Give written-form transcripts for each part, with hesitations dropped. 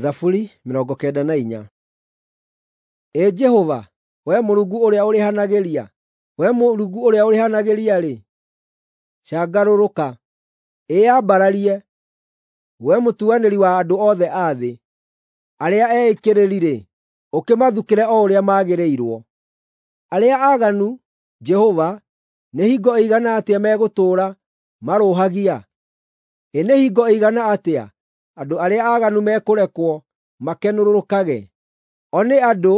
Thaburi 94. Ĩ Jehova, wee Mũrungu ũrĩa ũrĩhanagĩria, wee Mũrungu ũrĩa ũrĩhanagĩria-rĩ, cangarũrũka! Ĩyambararie, wee mũtuanĩri wa andũ othe a thĩ. Arĩa eĩkĩrĩri-rĩ, ũkĩmathukĩre o ũrĩa magĩrĩirwo. Arĩa aaganu, Jehova, nĩ hingo ĩigana atĩa megũtũũra marũũhagia? Ĩ nĩ hingo ĩigana atĩa andũ arĩa aaganu mekũrekwo makenũrũrũkage? O nĩ andũ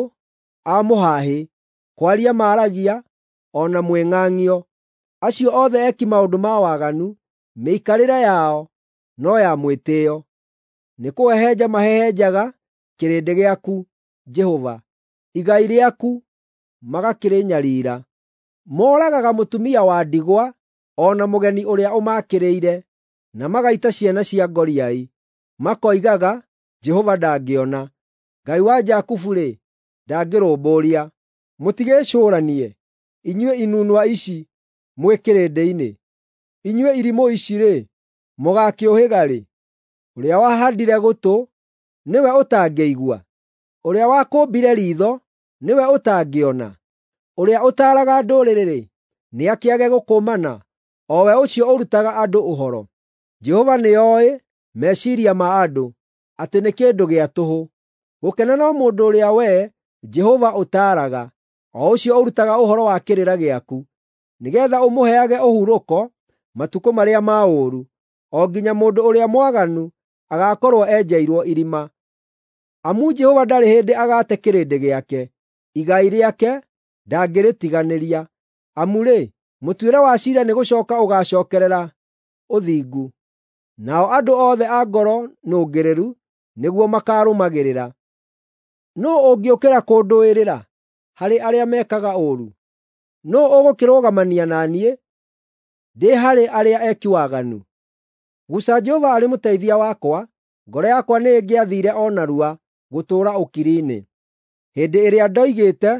a mũhaahĩ, kwaria maaragia o na mwĩng'ang'io. Acio othe eki maũndũ ma waganu, mĩikarĩre yao no ya mwĩtĩĩo. Nĩkũhehenja mahehenjaga kĩrĩndĩ gĩaku, Jehova, igai rĩaku magakĩrĩnyariira. Mooragaga mũtumia wa ndigwa o na mũgeni ũrĩa ũmakĩrĩire, na magaita ciana cia ngoriai. Makoigaga, “Jehova ndangĩona; Ngai wa Jakubu-rĩ, ndangĩrũmbũiya.” Mũtigĩĩcũũranie, inyuĩ inunwa ici mwĩ kĩrĩndĩ-inĩ; inyuĩ irimũ ici-rĩ, mũgaakĩũhĩga rĩ? Ũrĩa wahaandire gũtũ, nĩwe ũtangĩigua? Ũrĩa wakũmbire riitho, nĩwe ũtangĩona? Ũrĩa ũtaaraga ndũrĩrĩ-rĩ, nĩakĩage gũkũmana, o we ũcio ũrutaga andũ ũhoro? Jehova nĩoĩ meciiria ma andũ, atĩ nĩ kĩndũ gĩa tũhũ. Gũkena no mũndũ ũrĩa wee, Jehova, ũtaaraga, o ũcio ũrutaga ũhoro wa kĩrĩra gĩaku, nĩgeetha ũmũheage ũhurũko matukũ marĩa ma ũũru, o nginya mũndũ ũrĩa mwaganu agaakorwo enjeirwo irima. Amu Jehova ndarĩ hĩndĩ agaate kĩrĩndĩ gĩake, igai rĩake ndangĩrĩtiganĩria. Amu-rĩ, mũtuĩre wa ciira nĩgũcooka ũgaacookerera ũthingu, nao andũ othe a ngoro nũngĩrĩru nĩguo makaarũmagĩrĩra. Nũũ ũngĩũkĩra kũndũĩrĩra harĩ arĩa mekaga ũũru? Nũũ ũgũkĩrũgamania na niĩ ndĩ harĩ arĩa eki waganu? Guca Jehova arĩ mũteithia wakwa, ngoro yakwa nĩĩngĩathiire o narua gũtũũra ũkiri-inĩ. Hĩndĩ ĩrĩa ndoigĩte,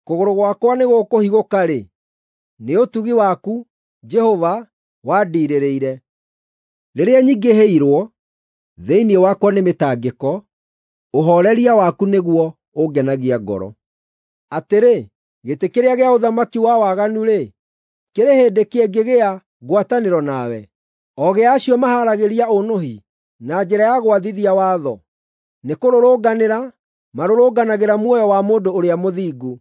“Kũgũrũ gwakwa nĩgũkũhigũka-rĩ, nĩ ũtugi waku, Jehova, wandiirĩrĩire. Rĩrĩa nyingĩhĩirwo thĩinĩ wakwa nĩ mĩtangĩko, ũhooreria waku nĩguo ũngenagia ngoro. Atĩrĩ, gĩtĩ kĩrĩa gĩa ũthamaki wa waganu-rĩ, kĩrĩ hĩndĩ kĩngĩgĩa ngwatanĩro nawe, o gĩa acio mahaaragĩria ũũnũhi na njĩra ya gwathithia watho? Nĩkũrũrũnganĩra marũrũnganagĩra muoyo wa mũndũ ũrĩa mũthingu,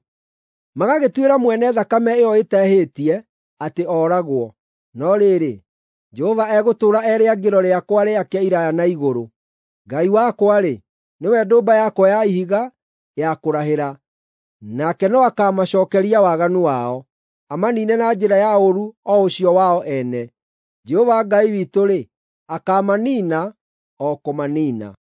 magagĩtuĩra mwene thakame ĩyo ĩtehĩtie atĩ ooragwo. No rĩrĩ, Jehova egũtũũra e rĩangĩro rĩakwa rĩake iraaya na igũrũ. Ngai wakwa-rĩ, nĩwe ndũmba yakwa ya ihiga ya kũrahĩra, nake no akaamacookeria waganu wao, amaniine na njĩra ya ũũru o ũcio wao ene. Jehova Ngai witũ-rĩ, akaamaniina o kũmaniina.